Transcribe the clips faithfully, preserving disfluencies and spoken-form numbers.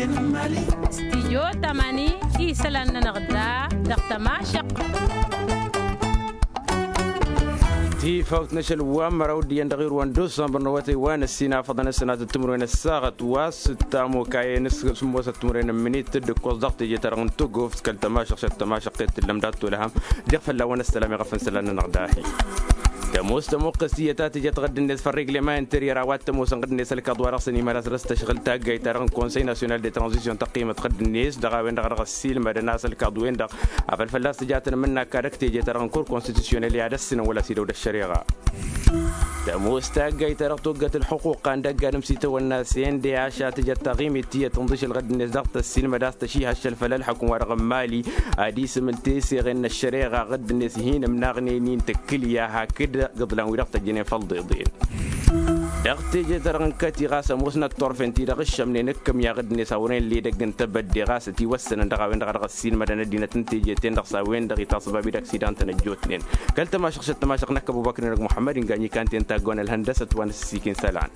Stijyo tamani isălan-nănăɣ da dăɣ-tămašăɣt. Tifawt n-ašăl wa n-măraw d-iyyăn dăɣ-irwan d-usănbăr n-awătay wa n-ăssinafăḍăn ăssinat d-timǝrwen ăssaɣăt wa s-tamokayen s-sǝmmosăt timǝrwen n-imǝnit d-ǝkkoẓ dăɣ-teje-ta-dăɣ n-tugǝft kăl-tămašăɣt šăt tămašăɣt i-t-tǝllăm dat-tolăhăm. Diɣ fălla-wăn ăssălam iɣăf n-isălan-nănăɣ dahi. Tămoos tămuqqǝst iyyăt a tǝjăt ɣǝdd-net făll-regleman interyăr a-wa t-ămoosăn ɣǝdd-net ălkaḍ-wa-dăɣ s-ănimălas dăr-s tăšɣǝl taggayt-ta-dăɣ n-konsăy nasyonal de tranzisyon tăqqimăt ɣǝdd-net dăɣ-a-wen-dăɣ a dăɣ-ăssiilmădăn a-s ălkaḍ-wen-dăɣ a făl fălla-s tǝjatăn mǝnna ăkad ăkteje-ta-dăɣ n-kur konstitusyonel i-ad-ăssǝnăn wăla s-idăw d-ăššăreɣa. Tămoos taggayt-ta-dăɣ toggăt ǝlxǝquqa n-dăgg-adǝm s-itawănna s-ende ašăl tǝjăt taɣimit tiyyăt tǝnḍǝšǝl ɣǝdd-net dăɣ-tăssiilmăd a-s tăšihăššăl făll-ălḥukǝm-wa-dăɣ n-mali ad-isǝmǝl teseɣen n-ăššăreɣa ɣǝdd-net hin-ǝmnaɣnen-in tǝkkǝlya hakd igǝḍlan-wi-dăɣ tăjjănen făll-iḍeḍen. Dăɣ-teje-ta-dăɣ n-kăti ɣas ămoosnăt turfen-ti-dăɣ ǝššămnen ǝkkǝm i-ad-ɣǝd n-e-s a wăren ledăgg n-tebădde ɣas ătiwăssănăn dăɣ-a-wen-dăɣ a dăɣ-ăssiilmădăn ăddinăt n-teje-ten-dăɣ s-a-wen-dăɣ itasbab-i d-aksidan-tăn ăjjootnen. Kăl-tămašăɣšăt tămašăɣt n-ăkkăbubăknen dăɣ-muḥămmăd inganyǝkan-ten taggon ălhăndăsăt wa n-ăssiikin isălan.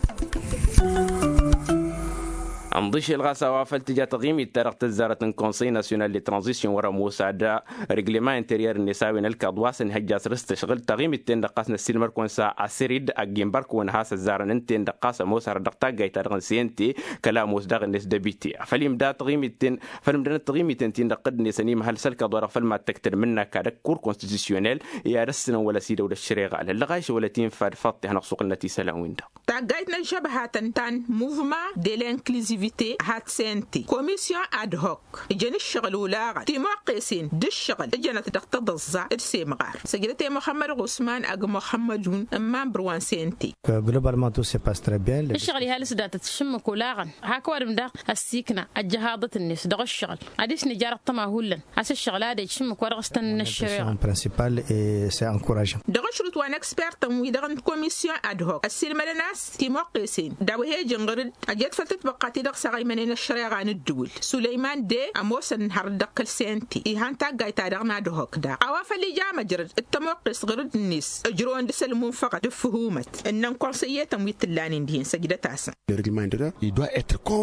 Ănḍǝšel ɣas a-wa făl tǝja taɣimit-ta-dăɣ tăzzarăt n-konsăy nasyonal de tranzisyon wăr-ămoos ad-regleman interyăr-net a-wen ălkaḍ wa s-ănhăjja săr-s tăšɣǝl taɣimit-ten-dăɣ ɣas n-ăssiilmăr-kăwăn s-asărid agg-inbărkăwăn has-ăzzarăn ǝnten-dăɣ ɣas ămoos arăt dăɣ-taggayt-ta-dăɣ n-sente kăla ămoos daɣ-net dăbite. Făl imda taɣimit-ten făl ǝmdănăt taɣimit-ten-tin-dăɣ ɣǝd-net ănimhăl s-ălkaḍ wa-dăɣ făl mad-tăktăd mǝnna kad-ăkkur konstitusyonel i-ad-ăssǝnăn wăla s-idăw d-ăššăreɣa lăllăɣayš wăla t-infa d-faḍt ihănăɣ-suɣǝlnăt isălan-win-dăɣ. Taggayt n-ăžžăbhat ǝnta n-muvma de l'inkluzivite hat-sente komisyon ad-hok ǝjăn ǝššăɣǝl olaɣăn timuqqesen d-ǝššăɣǝl ǝjănăt dăɣ-tăḍăẓẓa d-semɣar săjdăt i-muxămmăd ɣusman ăgg muxămmădun n-mambăr wa n-sente. Globalement tout se passe très bien. Ǝššăɣǝl ihal s-datăt šǝmmǝk olaɣăn hak ăwadǝm daɣ ăssiikna ăjjăhaḍăt-net dăɣ-ǝššăɣǝl ad-isnǝj arăt tăma hullan a-s ǝššăɣǝl ad-ej šǝmmǝk wa dăɣ-s tăn-năššăreɣ. Principal e c'est encourageant. Dăɣ-ašrǝt wa n-expert-tăn-wi-dăɣ n-komisyon ad-hok ăssiilmădăn a-s timuqqesen d-a-wa he-ijǝn ɣǝr-dd ăjet făll-tǝtbăqqa ti-dăɣ s-aɣăymănen ăššăreɣa n-ǝddǝwǝl sulăyman de ămoosăn hărăt dăɣ-kăl-sente. Ihăn taggayt-ta-dăɣ n-ad-hok daɣ a-wa făl ija măjrăd d-tămuqqest ɣǝr-dd-net ǝjrăwăn dăɣ-s ălmunfăɣăt d-ǝffǝhumăt ǝnnăn konsăyyetăn wi t-ǝllanen dihen săjdăt-asăn.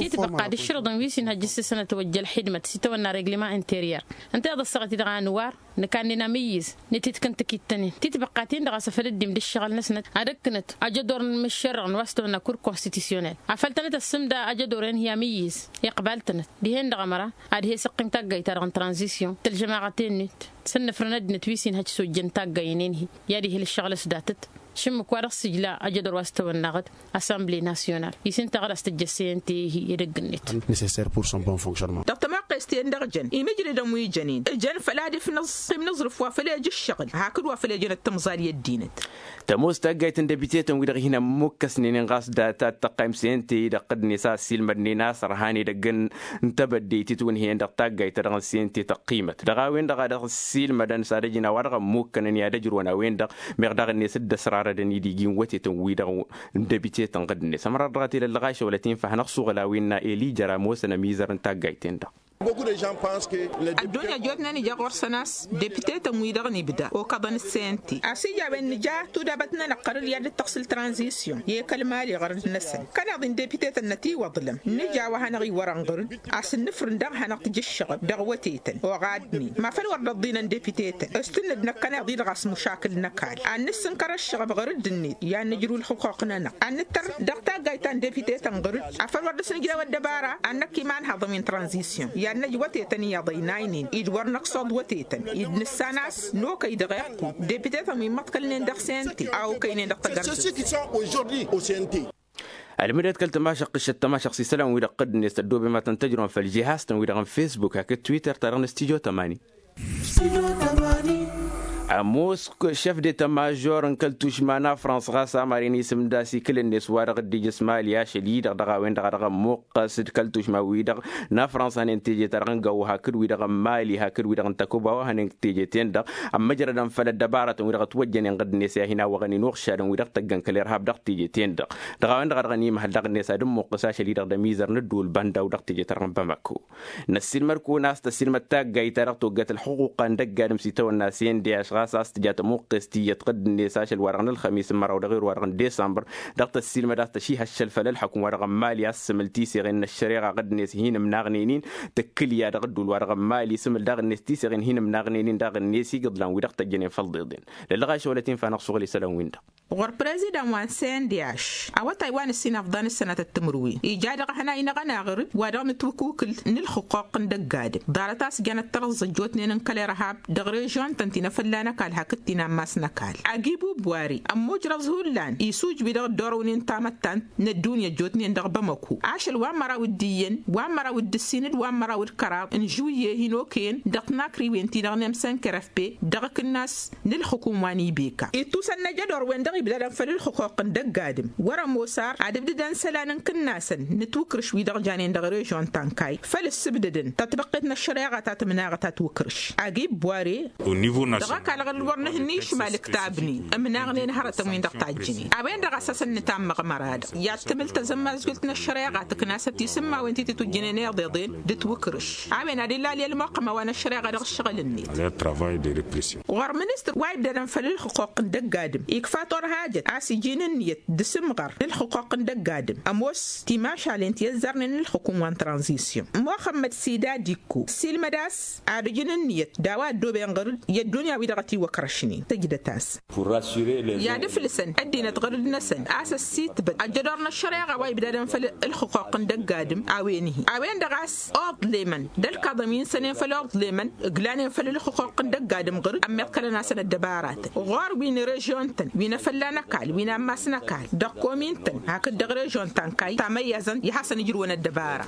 Titbăqqa d-ǝššărǝḍăn wi s-inhăjj s-sănăt wăjja ălxidmăt s-itawănna regleman interyăr ǝnta i-ad-ăssaɣăt-i-dăɣ a nǝwar nǝkannin amǝyyǝz n-ititkǝn tǝkittănen titbăqqatin-dăɣ a-s afăl dd-imdǝššăɣăl-năsnăt ad-ǝkkǝnăt ajădor n-imǝššerrăɣ n-wa s-tawănna kur konstitusyonel afăl tănăt-ăssǝmda ajădor-en hi-amǝyyǝz iqbal-tănăt dihen-dăɣ ămăra ad-he-săqqim taggayt-ta-dăɣ n-tranzisyon tălžămaɣăt-en-net s-ănnăfrăn ăddinăt wi s-inhăj s-ojjăn taggay-nen-hi i-ad-ihǝl ǝššăɣǝl s-datăt šǝmmǝk wa dăɣ-s ijla ajădor wa s-tawănnaɣăt assemble nasyonal i-s ǝnta ɣǝr-as tǝjjăssăyăn tehi edăgg-net. Nécessaire pour son bon fonctionnement. Dăɣ-tămaqqest-en-dăɣ jăn imǝjrădăn wi jănen jăn făl ad-ifnăẓ imnǝẓrǝf wa făl ej ǝššăɣǝl hakd wa făl ejănăt tǝmẓal i-ăddinăt. Tămoos taggayt n-dăbitetăn wi-dăɣ hin-ămmukkăsnen-in ɣas data d-tăqqayǝm s-ente-i-dăɣ ɣǝdnet a ăssiilmădnen a-s ărhan edăgg n-tebădde itǝtwǝnhǝyăn dăɣ-taggayt-ta-dăɣ n-sente tăqqimăt dăɣ-a-wen-dăɣ a dăɣ-ăssiilmădăn s-ad-ăjǝn a-wa-dăɣ ămmukkănăn i-ad-ăjrăwăn a-wen-dăɣ meɣ daɣ-net dd-ăsrarădăn idigi n-wătetăn-wi-dăɣ n-dăbitetăn ɣǝdnet ămăra dăɣ-t-e lăllăɣayšăwălăt infa hanăɣ-suɣǝl a-wen n-a elijăr ămoosăn ămizăr n-taggayt-en-dăɣ. Ăddunya ăjjootnen ija ɣur-săn a-s depitetăn-wi-dăɣ n-ibda okăḍăn d-sente a-s ija a-wen nǝja tudabăt-nănăɣ ɣărăd i-ad-dd-tăɣsǝl tranzisyon i-kăl-mali ɣărăd-năsăn kăneḍ-in depitetăn n-ătiwăḍlăm nǝja a-wa hanăɣ-iwărăn ɣărăd a-s ǝnnǝfrǝn daɣ hanăɣ-tǝjǝššăɣăb dăɣ-wătetăn oɣadnen ma făl wăr dd-ăḍḍinăn depitetăn s-tǝnnǝd-năk kăneḍ-i-dăɣ a-s mušakǝl n-ăkall ad-nǝssǝnkăr ǝššăɣăb ɣărăd-net i-ad-nǝjrǝw ǝlxǝqquq-nănăɣ ad-nǝttăr dăɣ-taggayt ta n-depitetăn ɣǝr-dd afăl wăr dăr-s nǝjrew ăddăbara ad-năkk iman haḍăn-win tranzisyon i-ad-năj wătetăn iyyăḍ ăynaynen-dd wăr năksoḍ wătetăn-dd nǝssan a-s n-okăy dăɣ-iqqu depitetăn wi n-imăḍkălnen dăɣ-sente a okăynen dăɣ-tagărjăt. Ălmǝdăt kăl-tămašăɣt ǝššăt tămašăɣt s-isălan-wi-dăɣ ɣǝddǝnet ăddooben ma tăn-tăjrăwăn făll-žihaz-tăn-wi-dăɣ n-fesbuk hakd twitter-ta-dăɣ n-studyo tămani. Ămoos šef de tămažor n-kăl-tušma n-afrans ɣas amar-in isǝmda s-ikǝl-net wa dăɣ-dd-ija s-mali ašăl-i-dăɣ dăɣ-a-wen-dăɣ a dăɣ-ămmuqqăs d-kăl-tušma-wi-dăɣ n-afrans hănen teje-ta-dăɣ n-gawo hakd-wi-dăɣ n-mali hakd-wi-dăɣ n-takuba wa hănen teje-ten-dăɣ ămmăjrădăn făll-ăddăbarătăn-wi-dăɣ ătwăjjănen ɣǝddǝnet i-ad-hin-awăɣăn inuɣšadăn-wi-dăɣ tăggăn kăl-irhab dăɣ-teje-ten-dăɣ. Dăɣ-a-wen-dăɣ a dăɣ-ănimhăl dăɣ-net ad-ǝmmuqqǝs ašăl-i-dăɣ d-ămizăr n-ǝddǝwǝl banda-w dăɣ-teje-ta-dăɣ n-bamako. Năssiilmăd-kăwăn a-s tăssiilmăd taggayt-ta-dăɣ toggăt ălxuquqa n-dăgg-adǝm s-itawănna s-e n d h. ɣas a-s tǝja tămuqqes tiyyăt ɣǝdd-net ašăl wa-dăɣ n-ălxămis n-măraw d-aɣir wa-dăɣ n-disămbăr, dăɣ-tăssiilmăd a-s tăšihăššăl făll-ălxukǝm wa-dăɣ n-mali a-s sǝmǝl tiseɣen n-ăššăreɣa ɣǝdd-net hin-ǝmnaɣnen-in. Tǝkkǝlya dăɣ-ădduul wa-dăɣ n-mali sǝmǝl daɣ-net tiseɣen hin-ǝmnaɣnen-in daɣ-net igǝḍlan-wi-dăɣ tăjjănen făll-iḍeḍen. Lăllăɣ ašăwălăt infa hanăɣ-suɣǝl isălan-win-dăɣ. Ɣur-prezidan wa n-sendiaš awătay wa n-ǝssin afḍan d-sănatăt timǝrwen ija dăɣ-ehănay-năɣ ănaɣrǝd wa dăɣ-nǝtwǝkukǝl n-ǝlxǝquq n-dăgg-adǝm. Ḍarăt a-s jănăt tărǝẓẓǝj jotnen n-kăl-irhab dăɣ-režion-tăn ti n-afălla n-ăkall hakd ti n-ammas n-ăkall. Agibub ware ămmujrăẓ hullan isujbi dăɣ-dd-orăwnen tamăttant n-ăddunya ăjjootnen dăɣ-bamăku ašăl wa n-măraw d-iyyăn wa n-măraw d-ǝssin d-wa n-măraw d-kăraḍ n-žuyye hin-okăyăn dăɣ-tinakriwen-ti-dăɣ n-emsănkărăf pe dăɣ-akǝnnas n-ǝlxǝkum wa n-ibeka ittusăn n-ajădor-wen-dăɣ ibdadăn făll-ǝlxǝquq n-dăgg-adǝm wăr-ămoos ar ad-ǝbdǝdăn isălan n-ikǝnnasăn n-atukrǝš wi-dăɣ janen dăɣ-režion ta n-kayy făll-ǝssǝbdǝdăn tătbăqqet n-ăššăreɣa ta tǝmnaɣăt atukrǝš. Agib ware dăɣ-ăkall ɣǝr-dd wăr nǝhǝnni išmal ǝktabnen ǝmnaɣnen hărătăn-win-dăɣ tajjǝnen a-wen-dăɣ a-s hasăn-nǝtammăɣ măra-dăɣ i-ad-tǝmǝl tazămmazgult n-ăššăreɣa tǝknasăt isǝmmawen ti tǝtwǝjjǝnen iḍeḍen d-ǝtwǝkrǝš a-wen ad-ilal i-ălmuqqăm a-wa n-ăššăreɣa dăɣ-ǝššăɣǝl-net. Ɣur-ministăr wa ibdadăn făll-ǝlxǝquq n-dăgg-adǝm ikfa torhajăt a-s iji n-ǝnniyăt d-asǝmɣăr n-ǝlxǝquq n-dăgg-adǝm ămoos timašalen ti ăzzarnen n-ǝlxǝkum wa n-tranzisyon muxămmăd sida dikko ăssiilmăd a-s ad-ǝjǝn ǝnniyăt d-a-wa ăddooben ɣăr-dd i-ăddunya-wi-dăɣ ătiwăkrăšnen tǝjdăt-as i-ad-ǝflǝsăn ăddinăt ɣăr-dd-năsăn a-s ăssitbăd ăjjădor n-ăššăreɣa wa ibdadăn făll-ǝlxǝquq n-dăgg-adǝm a-wen-hi a-wen-dăɣ a-s oḍlemăn d-ălkaḍăn wi n-sănen făll-oḍlemăn ǝglanen făll-ǝlxǝquq n-dăgg-adǝm ɣǝr-dd ămmiḍkălăn-asăn ăddăbaratăn ɣur-wi n-režion-tăn wi n-afălla n-ăkall wi n-ammas n-ăkall dăɣ-komin-tăn hakd dăɣ-režion ta n-kayy tamăyyazăn i-hasăn-ǝjrǝwăn ăddăbara.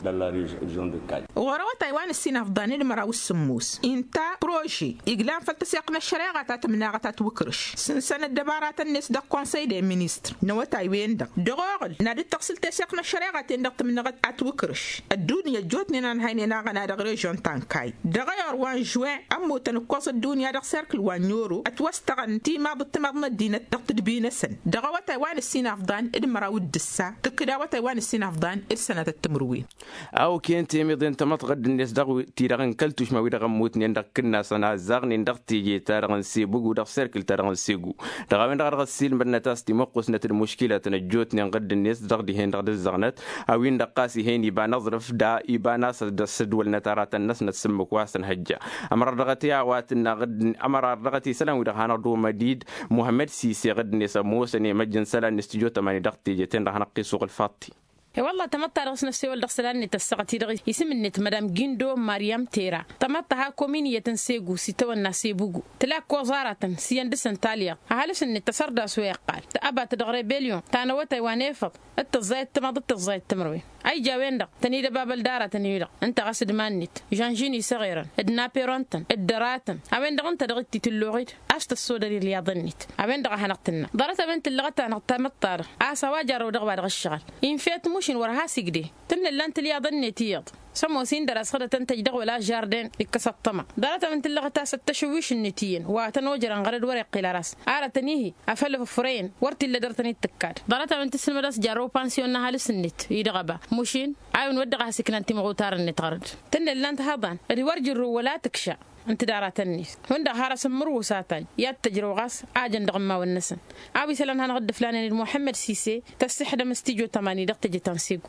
Ɣur-awătay wa n-ǝssin afḍan d-măraw s-sǝmmos inta prože iglan făll-tăseɣt n-ăššăreɣa ta tǝmnaɣăt atwǝkrǝš sǝnsăn ăddăbaratăn-net dăɣ-konsăy de ministr n-awătay-wen-dăɣ dăɣ-oɣǝl n-ad-dd-tăɣsǝl teseɣt n-ăššăreɣa-ten-dăɣ tǝmnăɣăt atwǝkrǝš ăddunya ăjjootnen a ǝnhăynen aɣăna dăɣ-režion ta n-kayy dăɣ-ayăr wa n-žuwen ămmutăn ǝkkoẓ ăddunya dăɣ-serkǝl wa n-oro ătwăstăɣăn timaḍ d-timaḍ n-ăddinăt dăɣ-tǝdbi-năsăn dăɣ-awătay wa n-ǝssin afḍan d-măraw d-ǝssa tǝkkǝd awătay wa n-ǝssin afḍan d-sănatăt timǝrwen. A okăyăn temiḍe n-tamăḍt ɣǝdd-net dăɣ-ti-dăɣ n-kăl-tušma-wi-dăɣ ămmutnen dăɣ-ikǝnnasăn a ăzzaɣnen dăɣ-teje-ta-dăɣ n-sebugu dăɣ-serkǝl-ta-dăɣ n-segu dăɣ-a-wen-dăɣ a dăɣ-ăssiilmădnăt a-s timuqqusnăt d-muškilatăn ăjjootnen ɣǝdd-net dăɣ-dihen-dăɣ d-ǝzzăɣnăt a-win-dăɣ ɣas ih'-en iba n-aẓrǝf da iba n-a-s ăssădwălnăt aratăn-năsnăt s-ǝmmǝk wa s-ănhăjja. Ămărar dăɣ-t i-a-wa tǝnna ɣǝdd-net ămărar dăɣ-t isălan-wi-dăɣ hanăɣ-dd-omădid muhămmăd sise ɣǝdd-net ămoosăn i-măjj n-isălan n-studyo tămani dăɣ-teje-ten-dăɣ hanăɣ-t-isuɣǝl faṭṭi. E-wălla tamăḍt-ta-dăɣ s-năssewăl dăɣ-isălan-net ăssaɣăt-i-dăɣ isǝm-net madam gindo mariam tera tamăḍt ha kominiyăt n-segu s-itawănna sebugu tǝla ǝkkoẓ aratăn s-iyyăn dăr-săn talyaḍt ăhalǝs-net tăsărdas wa iqqal tăbat dăɣ-rebelyon ta n-awătay wa n-efăḍ d-tăẓẓayăt timaḍ d-tăẓẓayăt timǝrwen a ija a-wen-dăɣ tăn-id-ăbabăl d-aratăn-i-dăɣ ǝnta ɣas d-iman-net žănžin isăɣerăn d-naperon-tăn d-dăra-tăn a-wen-dăɣ ǝnta dăɣ-t itǝlluɣ-dd a-s tăssodăr ilyaḍ-net. A-wen-dăɣ a hanăɣ-tǝnna ḍarăt a-wen tǝllăɣăt-anăɣ tamăḍt-ta-dăɣ a-s a-wa jarrăw dăɣ-wa dăɣ-ǝššăɣǝl infet mušin wăr has-igde tǝnnǝllan tǝlyaḍ-net iyyăḍ s-ămoos-in dăr-a-s ɣǝdătăn-tăj dăɣ-wăla žarden ikkăs ăṭṭăma. Ḍarăt a-wen tǝllăɣăt a-s ăttăšǝwwiš-net iyyăn wa tăn-ojărăn ɣărăd wăr-iqqil ar a-s arătăn-ihi afăl ăfrăyăn wăr t-illa dăr-tăn-dd-tǝkkad. Ḍarăt a-wen tǝssǝlmăd a-s jarrăw pansiyon n-ăhalǝs-net-i-dăɣ ăba mušin a-wen wăr dăɣ-a has-iknan timɣutar-net ɣărăd tǝnnǝllan tihăḍan d-wăr jǝrrǝw wăla tǝkša ǝnta d-aratăn-net hundăɣ har asǝmmǝrwǝw s-ataj i-ad-tăjrăw ɣas a jăn dăɣ-immawăn-năsăn. A-wa isălan hanăɣ-dd-ǝflanen d-muhămmăd sise tăssixdăm s-tijo tămani dăɣ-teje ta n-segu.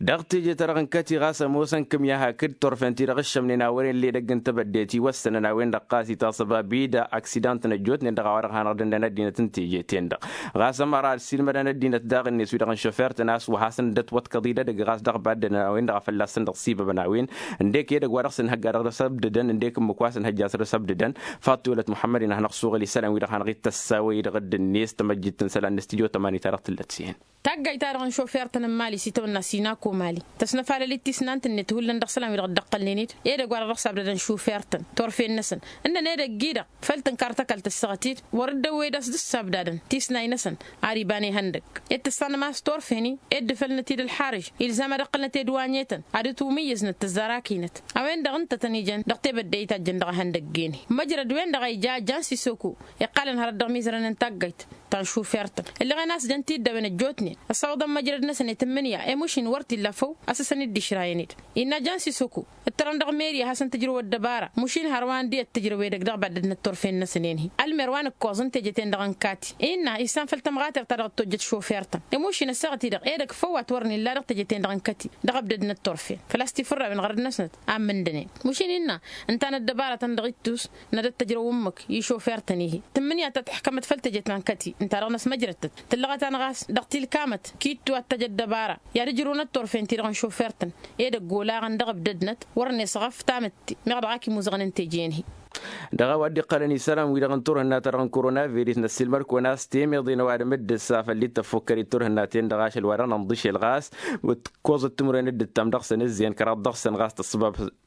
Dăɣ-teje-ta-dăɣ n-kăti ɣas ămoosăn kǝmya hakd turfen-ti-dăɣ ǝššămnen a wăren ledăgg n-tebădde tiwăssănăn a-wen-dăɣ ɣas itasăba bida aksidant n-ăjjootnen dăɣ-a-wa-dăɣ hanăɣ-dd-ǝndăn ăddinăt n-teje-ten-dăɣ. Ɣas ămăra ăssiilmădăn ăddinăt daɣ-net wi-dăɣ n-šofert-tăn a-s wa hasăn-dd-ătwăḍkăḍ idădăgg ɣas dăɣ-baddădăn a-wen-dăɣ a fălla-săn dăɣ-sibăbăn a-wen ǝndek edăgg wa dăɣ-săn hăgga dăɣ-dăr-s ăbdădăn ǝndek ǝmmǝk wa săn hăjja s-dăr-s ăbdădăn. Faṭṭulăt muḥămmăd-in a hanăɣ-suɣǝl isălan wi-dăɣ hanăɣ-dd-tăssawăy dăɣ-dd-net tămăjjit n-isălan n-studyo tămani ta dăɣ-tǝllăt s-ih'-en. Taggayt-ta-dăɣ n-šofer-tăn n-mali s-itawănna sinako mali tăsnăfalăl-dd tisnant-net hullan dăɣ-isălan wi-dăɣ dd-ăqqălnen-dd edăgg wa dăɣ-dăɣ s-abdădăn šofer-tăn turfen-năsăn ǝnnăn edăgg-i-dăɣ făl tǝnkar tăkalt ăssaɣăt-dd wăr-dd-ăwwed a-s dd-sabdadăn tisnay-năsăn. Ar iba n-ihăndăgg ed tǝssanăm a-s turfen-i ed dăfălnăt-dd ălxarǝž ilzam ad-ǝqqǝlnăt edwanyetăn ad-ǝtwǝmǝyyǝznăt tăzzarakinăt. A-wen-dăɣ ǝnta a tăn-ijăn dăɣ-tebădde a itajjăn dăɣ-ehăndăgg-en-hi măjrăd-wen-dăɣ a ija jan sisoko iqqalăn hărăt dăɣ-imizărăn n-taggayt ta n-šufert-tăn ǝllăɣen a-s jăn tiddăwen ăjjootnen ăssawăḍăn măjrăd-năsăn i-tǝmmǝnǝya i-mušin wăr t-illa. Lăfăw a-s ăsăn-dd-išrayăn-dd innă jan sisoko ǝttărăn dăɣ-meri a hasăn-tǝjrăw ăddăbara mušin hărwa n-di ăttǝjrăw edăgg dăɣ-baddăd n-ătturfen-năsăn enhi. Ălmer wa n-ǝkkoẓ n-teje-ten-dăɣ n-kati innă issan făll-tămɣater ta dăɣ-tojjăt šofer-tăn. Imušin ăssaɣăt-i-dăɣ edăgg făw a-t wăren illa dăɣ-teje-ten-dăɣ n-kati dăɣ-abdăd n-ătturfen făl-a-s tifǝrrawen ɣărăd-năsnăt a n-mǝndănen. Mušin innă ǝnta n-ăddăbara-tăn-dăɣ ittus n-ad-ăttăjrăw ǝmmǝk i-šofer-tăn-i-hi tǝmmǝnǝya ta tǝḥkămăt făll-teje ta n-kăti ǝnta-dăɣ n-ăsmăjrătăt tǝllăɣăt-anăɣ a-s dăɣ-tilkamăt kittu ad-t-ăj ăddăbara i-ad-ǝjrǝwăn ăttorfen-ti-dăɣ n-šofer-tăn. Edăgg olaɣăn dăɣ-ăbdădnăt wăr-net ɣăf tamǝtte meɣ dăɣ-ak imuzăɣăn n-teje-en-hi. Dăɣ-a-wa dd-iqqălăn isălan-wi-dăɣ n-turhǝnna-ta-dăɣ n-korona virus năssiilmăd-kăwăn a-s temeḍe n-ăwadǝm dd-ǝssa făll-dd tăffukkăr i-turhǝnna-ten-dăɣ ašăl wa dăɣ-nănḍǝšel ɣas ǝkkoẓ ǝttǝmǝrwen dd-ǝttam dăɣ-săn ǝzzeyăn kăraḍ dăɣ-săn ɣas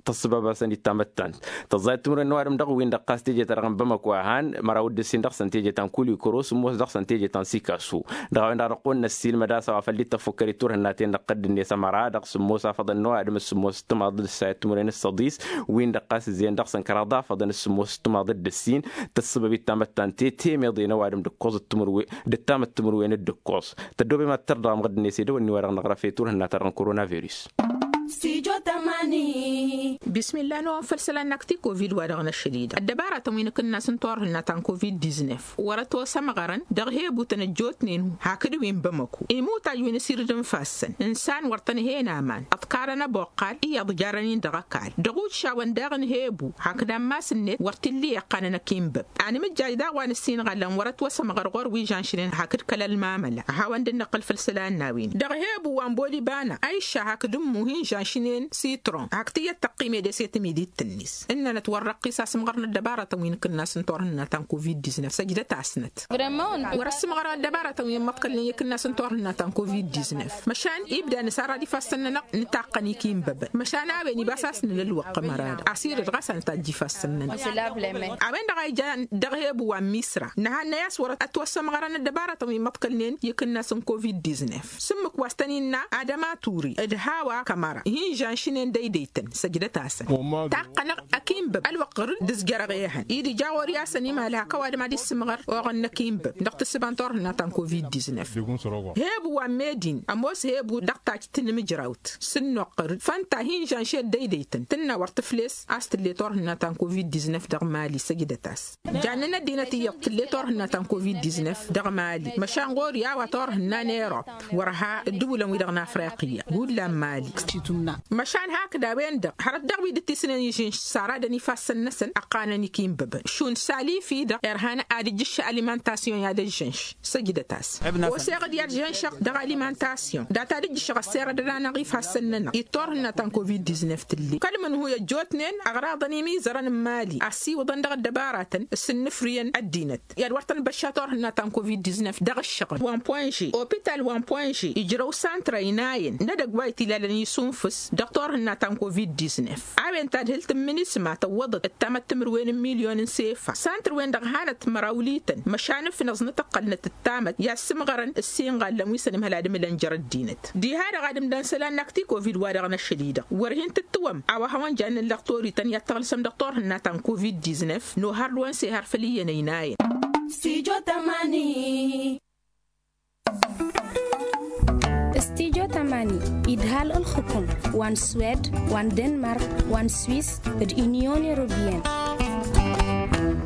tăssăbab-asăn d-tamăttant. Tăẓẓay ǝttǝmǝrwen n-ăwadǝm dăɣ-win-dăɣ ɣas teje-ta-dăɣ n-bamăko a han măraw d-ǝssin dăɣ-săn teje ta n-kulikuro sǝmmos dăɣ-săn teje ta n-sikasu. Dăɣ-a-wen-dăɣ dăɣ-kăwăn-năssiilmăd a-s a-wa făl dd-tăffukkăr i-turhǝnna-ten-dăɣ tădd-net ămăra-dăɣ sǝmmos afăḍăn n-ăwadǝm d-sǝmmos ǝttǝmaḍ d-ǝssa i-ǝttǝmǝrwen s-săḍis. Win-dăɣ ɣas ǝzzeyăn dăɣ-săn kăraḍ afăḍăn d-sǝmmos ǝttǝmaḍ d-ǝssin tǝssǝbăb i-tamăttant temeḍe n-ăwadǝm d-ǝkkoẓ d-ǝttǝmǝrwen d-ǝkkoẓ. Tăddoobem ad-tărdăɣăm ɣǝdd-net edăwănni wa dăɣ-năɣrăf i-turhǝnna-ta-dăɣ n-korona virus. Bismillah n-ăwăn făll-isălan n-akti covid wa dăɣ-năšăl-i-dăɣ ăddăbaratăn wi n-akǝnnas n-turhǝnna ta n-covid-diznef wăr-ătwăsămɣărăn dăɣ-hebutăn ăjjootnen hakd wi n-bamăko. Imutaj wi n-asirǝd n-ifassăn n-isan wăr tăn-hen aman ăḍkarăn ăboqqal iyyăḍ jarăn-in dăɣ-ăkall dăɣ-uššawăn daɣ n-hebu hakd ammas-net wăr t-illa iqqanăn ăkinbăb. Anǝmǝjjaj daɣ wa n-ǝssin iɣallan wăr-ătwăsămɣăr ɣur-wi žănšnen hakd kăl-ălmamăla a hawăn dd-năqqǝl făll-isălan n-a-wen dăɣ-hebu wa n-boliba-năɣ a išša hakd ǝmmu hin-žănš inen sitron hakd tiyyăt tăqqim ede s-e-tǝmidit-net ǝnnănăt wăr răqqis asǝmɣăr n-ăddăbaratăn wi n-akǝnnas n-turhǝnna ta n-covid-diznef săjdăt-asnăt. Wăr-ăssǝmɣărăn ăddăbaratăn wi n-imăḍkălnen i-akǝnnas n-turhǝnna ta n-covid-diznef măšan ibda nǝsarrad ifassăn-nănăɣ nǝtaqqăn ikinbăbăn măšan a-wen ibas a-s nǝla ălwăqq ămăra-dăɣ asirăt ɣas a nǝtajj ifassăn-nănăɣ. A-wen-dăɣ a ijan dăɣ-hebu wa n-misra nǝhannăy a-s wăr-ătwăssămɣărăn ăddăbaratăn wi n-imăḍkălnen i-akǝnnas n-covid-diznef s-ǝmmǝk wa s-tăn-innă adăma turi d-hawa kămăra hin-žănšnen dăydăytăn săjdăt-asăn. Taqqănăɣ ăkinbăb ălwăqq ɣur-dd ǝzjărăɣ ehăn-i d-ija ɣur-i a-s ănimăhăl hak ăwadǝm ad-issǝmɣăr oɣăn n-ăkinbăb dăɣ-tǝssǝba n-turhǝnna ta n-covid-diznef. Hebu wa n-medin ămoos hebu dăɣ-tajj tinǝmǝjrawt s-ǝnnuqqăr-dd fănta hin-žănšet dăydăytăn tǝnna wăr tǝfles a-s tǝlle turhǝnna ta n-covid-diznef dăɣ-mali săjdăt-as. Jannăn ăddinăt iyyăḍ tǝlle turhǝnna ta n-covid-diznef dăɣ-mali măšan ɣur-i a-wa turhǝnna n-erop wăr ha ǝddǝwǝlăn-wi-dăɣ n-afriqya hullan mali. Măšan hakd a-wen-dăɣ hărăt dăɣ-wi dd-tisnen ižǝnš saradăn ifassăn-năsăn ăqqanăn ikinbăbăn šund salifi-dăɣ irhan ad-ǝjjǝššăɣ alimantasyon i-ad-ăžžănš săjdăt-as. Oseɣ-dd i-ad-žănšăɣ dăɣ-alimantasyon data d-ǝjjǝššăɣ ăssirădăn-anăɣ ifassăn-nănăɣ i-turhǝnna ta n-covid-diznef tǝlli kăl-mǝnhu i-ăjjootnen ăɣraḍăn imizărăn n-imali ăssiwǝḍăn dăɣ-ăddăbaratăn s-ǝnnǝfrǝyăn ăddinăt i-ad-wăr tăn-băšša turhǝnna ta n-covid-diznef dăɣ-ǝššăɣǝl wa n-poinže opital wa n-poinže ijrăw santrăy n-ayǝn n-edăgg wa itilalăn isunfǝs dăɣ-turhǝnna ta n-covid-diznef. A-wen tadhǝlt n-minisma tăwwăḍăt ăttamăt timǝrwen n-milyon n-sefa santr-wen-dăɣ hanăt mărawlităn măšan ǝfnăẓ n-atăqqălnăt ăttamăt i-ad-sǝmɣărăn ǝssin ɣallăn wi s-ănǝmhăl ad-ǝmǝlăn jer-ăddinăt. Diha-dăɣ ad-ǝmdăn isălan n-akti covid wa dăɣ-năšăl-i-dăɣ wăr hin-tǝttǝwăm a-wa hawăn-jannen lăɣtorităn i-ad-tăɣlǝsăm dăɣ-turhǝnna ta n-covid-diznef nohăr d-wăn s-ehăr făll-iyyăn ăynayăn. Studio tamani idhal ǝlxǝkum wa n-swed wa n-denmark wa n-swis d-unyon europeyăn.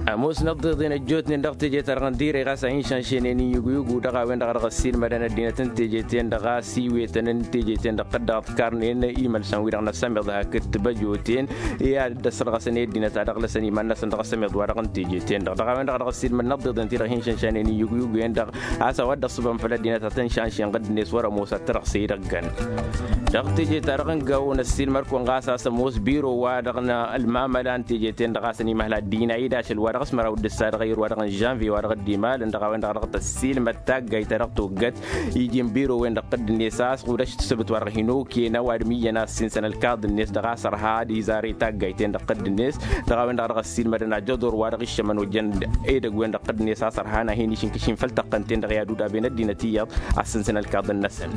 Ămoosnăt d-iḍen ăjjootnen dăɣ-teje-ta-dăɣ n-dirăy ɣas a hin-šanšenen iyyǝguyǝgu dăɣ-a-wen-dăɣ a dăɣ-ăssiilmădăn ăddinăt n-teje-ten-dăɣ a-s iwetăn n-teje-ten-dăɣ tăddaɣ tikarnen imălsan-wi-dăɣ n-ăssămeḍ hakd tibăjoten i-ad-dd-ăssărɣăsăn i-ăddinăt a dăɣ-lăsăn iman-năsăn dăɣ-ăssămeḍ wa dăɣ-n teje-ten-dăɣ dăɣ-a-wen-dăɣ a dăɣ-ăssiilmădnăt d-iḍen ti-dăɣ hin-šanšanen iyyǝguyǝgu-en-dăɣ a-s a-wa dd-ăṣṣǝbăm făll-ăddinăt ad-tăn-šanšen ɣǝdd-net wăr-ămoos ad-t-dăɣ-s idăggan. Dăɣ-teje-ta-dăɣ n-gawo n-ăssiilmăd-kăwăn ɣas a-s ămoos biro-wa-dăɣ n-ălmamăla n-teje-ten-dăɣ a-s ănimăhla ăddina-i d-ašăl-wa-dăɣ s-măraw d-ǝssa dăɣ-ayǝr-wa-dăɣ n-žănvye wa-dăɣ dd-imalăn dăɣ-a-wen-dăɣ a dăɣ-tăssiilmăd taggayt ta dăɣ-toggăt iji n-biro-wen-dăɣ ɣǝdd-net a-s ɣudăš tǝssǝbǝt wa-dăɣ hin-okena ăwadǝm iyyăn a-s ǝnsăn ălkaḍ-net dăɣ-a-s ărha ad-izare taggayt-en-dăɣ ɣǝdd-net. Dăɣ-a-wen-dăɣ a dăɣ-ăssiilmădăn ajăḍor wa dăɣ-iššămăn ojăn edăgg-wen-dăɣ ɣǝdd-net a-s ărhan a hin-išǝnkǝšin făll-tăqqăn-ten-dăɣ i-ad-udaben ăddinăt iyyăḍ a-s ǝnsăn ălkaḍ-năsăn.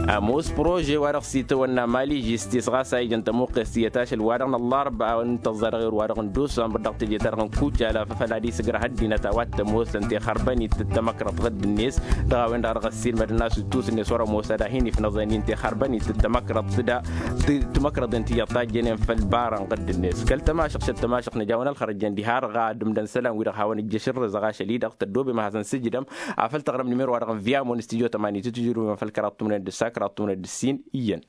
Ămoos prože-wa-dăɣ s-itawănna maližis-t-s ɣas a ijăn tămuqqest iyyăt ašăl-wa-dăɣ n-ăllarba a-wen tăẓẓa dăɣ-erwa-dăɣ n-dusambăr dăɣ-teje-ta-dăɣ n-kucala făfăl ad-isǝgrăh ăddinăt a-wa t-ămoosăn tixărbănit d-tamăkrăḍt ɣǝdd-net. Dăɣ-a-wen-dăɣ dăɣ-ăssiilmădăn a-s dd-tusǝnnet wăr-ămoos ad-ahin ifnăẓăn-in tixărbănit d-tamăkrăḍt d-tamăkrăḍt-en tiyyăḍ tajjănen făll-barăn ɣǝdd-net kăl-tămašăɣt šăt tămašăɣt nǝjawăn ălxărăjăn diha-dăɣ ad-ǝmdăn isălan-wi-dăɣ hawăn-ǝjjăš ǝrrǝzăɣ ašăl-i-dăɣ tăddoobem ad-hasăn-sǝjdăm. Afăl taɣrǝm nimero-wa-dăɣ n-vyamo n-studyo tămani tǝtǝjrǝwem făll-kăraḍ tǝmnen d-ǝssa kăraḍ tǝmnen d-ǝssin iyyăn.